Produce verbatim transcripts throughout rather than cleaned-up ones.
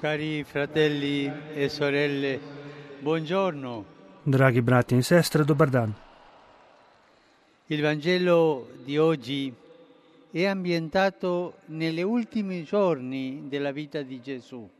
Cari fratelli e sorelle, buongiorno. Dragi brati in sestre, dobar dan. Il Vangelo di oggi è ambientato negli ultimi giorni della vita di Gesù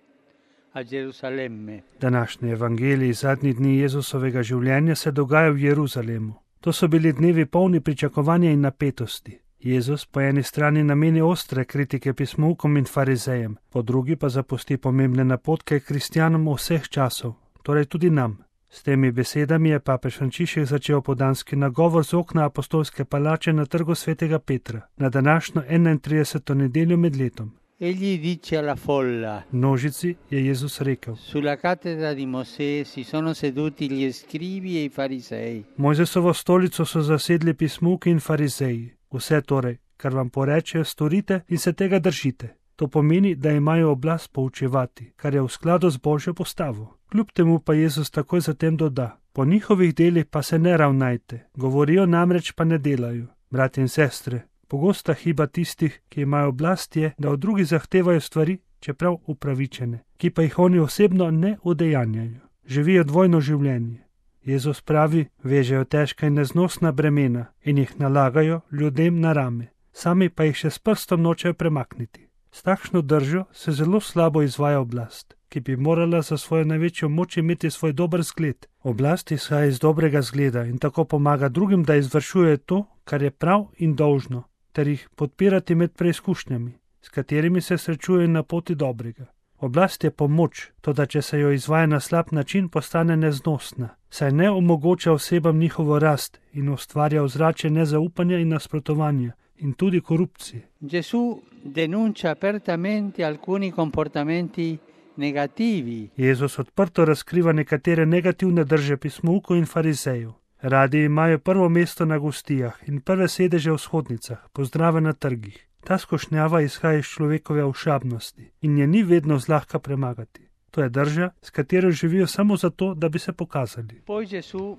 a Gerusalemme. Današnji evangelij zadnji dni Jezusovega življenja se dogaja v Jeruzalemu. To so bili dnevi polni pričakovanja in napetosti. Jezus po eni strani nameni ostre kritike pismoukom in farizejem, po drugi pa zapusti pomembne napotke kristjanom vseh časov, torej tudi nam. S temi besedami je papež Frančišek začel podanski nagovor z okna apostolske palače na trgu svetega Petra, na današnjo enaintrideseto nedeljo med letom. Egli dice alla folla: Množici je Jezus rekel: Sulla cattedra di Mosè si sono seduti gli scribi e i farisei. Mojzesovo stolico so zasedli pismuki in farizeji. Vse torej, kar vam porečejo, storite in se tega držite. To pomeni, da imajo oblast poučevati, kar je v skladu z Božjo postavo. Kljub temu pa Jezus takoj zatem doda: Po njihovih delih pa se ne ravnajte, govorijo namreč pa ne delajo. Brati in sestre, pogosta hiba tistih, ki imajo oblast, je, da od drugih zahtevajo stvari, čeprav upravičene, ki pa jih oni osebno ne udejanjajo. Živijo dvojno življenje. Jezus pravi, vežejo težka in neznosna bremena in jih nalagajo ljudem na rame, sami pa jih še s prstom nočejo premakniti. S takšno držo se zelo slabo izvaja oblast, ki bi morala za svojo največjo moč imeti svoj dober zgled. Oblast izhaja iz dobrega zgleda in tako pomaga drugim, da izvršujejo to, kar je prav in dolžno, ter jih podpirati med preizkušnjami, s katerimi se srečujejo na poti dobrega. Oblast je pomoč, toda če se jo izvaja na slab način, postane neznosna, saj ne omogoča osebam njihovo rast in ustvarja ozračje nezaupanja in nasprotovanja in tudi korupcije. Gesù denuncia apertamente alcuni comportamenti negativi. Jezus odprto razkriva nekatere negativne drže pismoukov in farizejev. Radi imajo prvo mesto na gostijah in prve sedeže v shodnicah, pozdrave na trgih. Ta skušnjava izhaja iz človekove ošabnosti in je ni vedno zlahka premagati. To je drža, s katero živijo samo zato, da bi se pokazali. Poi Gesù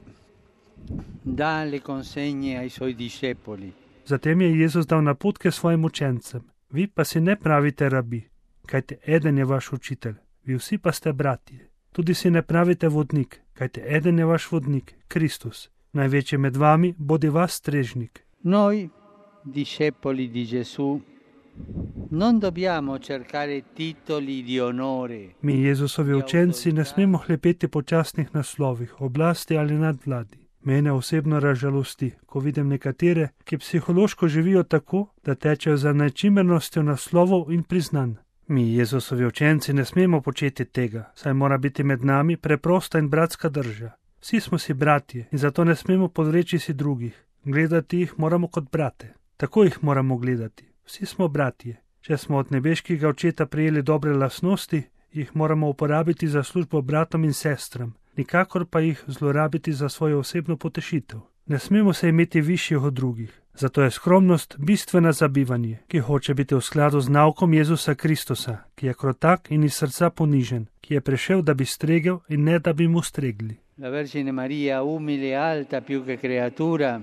dà le consegne ai suoi discepoli. Zatem je Jezus dal napotke svojim učencem. Vi pa si ne pravite rabi, kajte eden je vaš učitelj, vi vsi pa ste bratje. Tudi si ne pravite vodnik, kajte eden je vaš vodnik, Kristus. Največji med vami bodi vas strežnik. Noi, discepoli di Gesù, non dobbiamo cercare titoli di onore. Mi, Jezusovi učenci, ne smemo hlepeti po častnih naslovih, oblasti ali nadvladi. Mene osebno razžalosti, ko vidim nekatere, ki psihološko živijo tako, da tečejo za nečimernostjo naslovov in priznanj. Mi, Jezusovi učenci, ne smemo početi tega, saj mora biti med nami preprosta in bratska drža. Vsi smo si bratje in zato ne smemo podreči si drugih. Gledati jih moramo kot brate. Tako jih moramo gledati. Vsi smo bratje. Če smo od nebeškega očeta prijeli dobre lastnosti, jih moramo uporabiti za službo bratom in sestram, nikakor pa jih zlorabiti za svojo osebno potešitev. Ne smemo se imeti višjih od drugih. Zato je skromnost bistvena za bivanje, ki hoče biti v skladu z naukom Jezusa Kristusa, ki je krotak in iz srca ponižen, ki je prišel, da bi stregel in ne da bi mu stregli. La Vergine Maria, umile e alta più che creatura,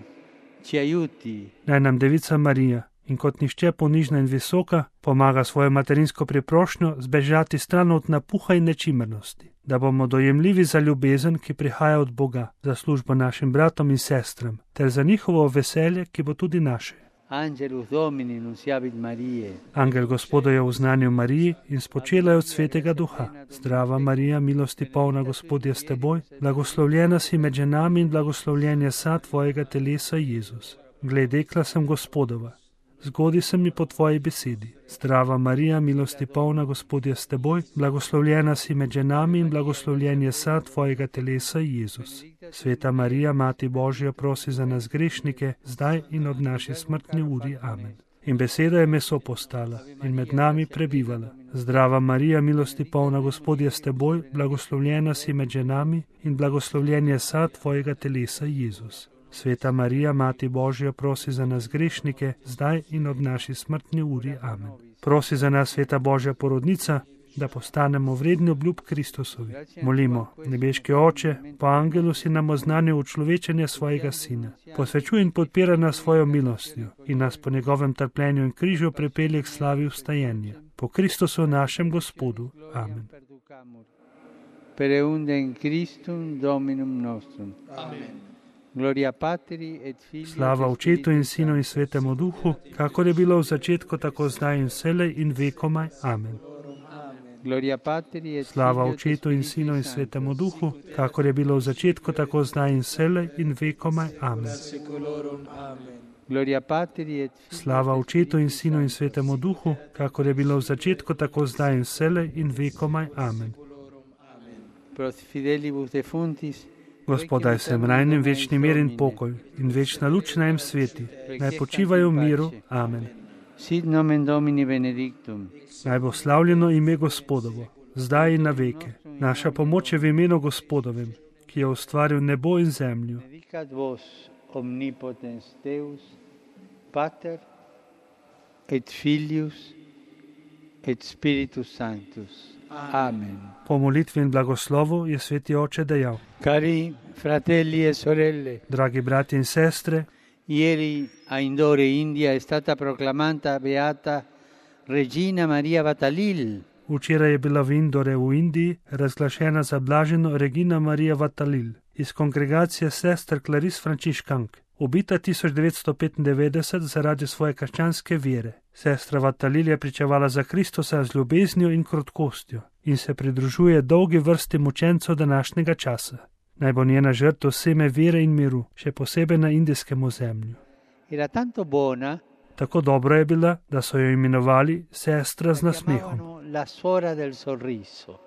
ci aiuti. Naj nam Devica Marija, in kot nišče ponižna in visoka, pomaga svojo materinsko priprošnjo zbežati stran od napuha in nečimrnosti, da bomo dojemljivi za ljubezen, ki prihaja od Boga, za službo našim bratom in sestram, ter za njihovo veselje, ki bo tudi naše. Angelus Domini nunciavit Mariae. Angel Gospoda je v znanju Mariji in spočela je od Svetega Duha. Zdrava Marija, milosti polna, Gospod je s teboj, blagoslovljena si med ženami in blagoslovljen je sad tvojega telesa, Jezus. Glej, dekla sem Gospodova. Zgodi se mi po tvoji besedi. Zdrava Marija, milosti polna, Gospod je s teboj, blagoslovljena si med ženami in blagoslovljen je sad tvojega telesa, Jezus. Sveta Marija, Mati Božja, prosi za nas grešnike, zdaj in ob naši smrtni uri. Amen. In beseda je meso postala in med nami prebivala. Zdrava Marija, milosti polna, Gospod je s teboj, blagoslovljena si med ženami in blagoslovljen je sad tvojega telesa, Jezus. Sveta Marija, Mati Božja, prosi za nas grešnike, zdaj in ob naši smrtni uri. Amen. Prosi za nas, Sveta Božja porodnica, da postanemo vredni obljub Kristusovi. Molimo, nebeški Oče, po angelu si nam oznanil učlovečenje svojega Sina. Posvečuj in podpira nas svojo milostjo in nas po njegovem trpljenju in križu pripelje k slavi vstajenja. Po po Kristusu našem Gospodu. Amen. Per eundem Christum Dominum nostrum. Amen. Gloria Patri et Filii. Slava Očetu in Sinu in Svetemu Duhu, kakor je bilo v začetku, tako zdaj in vselej in vekomaj. Amen. Gloria Patri et Slava Očetu in Sinu in Svetemu Duhu, kakor je bilo v začetku, tako zdaj in vselej in vekomaj. Amen. Gloria Patri et Slava Očetu in Sinu in Svetemu Duhu, kakor je bilo v začetku, tako zdaj in vselej in vekomaj. Amen. Pro fidelibus defuntis. Gospod, daj vsem rajnim večni mir in pokoj in večna luč naj jim sveti. Naj počivajo v miru. Amen. Sit nomen Domini benedictum. Naj bo slavljeno ime Gospodovo, zdaj in na veke. Naša pomoč je v imenu Gospodovem, ki je ustvaril nebo in zemljo. Benedicat vos omnipotens Deus, Pater et Filius et Spiritus Sanctus. Amen. Po molitvi in blagoslovu je sveti oče dejal: Cari fratelli e sorelle, dragi brati in sestre, ieri a Indore, India, è stata proclamata beata Regina Maria Vatalil. Včeraj je bila v Indore v Indiji razglašena za blaženo Regina Marija Vatalil iz kongregacije sester Klaris Frančiškank, ubita tisoč devetsto petindevetdeset zaradi svoje krščanske vere. Sestra Vatalil je pričevala za Kristusa z ljubeznijo in krotkostjo in se pridružuje dolgi vrsti mučencev današnjega časa. Naj bo njena žrtev seme vere in miru, še posebej na indijskem ozemlju. Era tanto buona, tako dobro je bila, da so jo imenovali sestra z nasmehom. La suora del sorriso.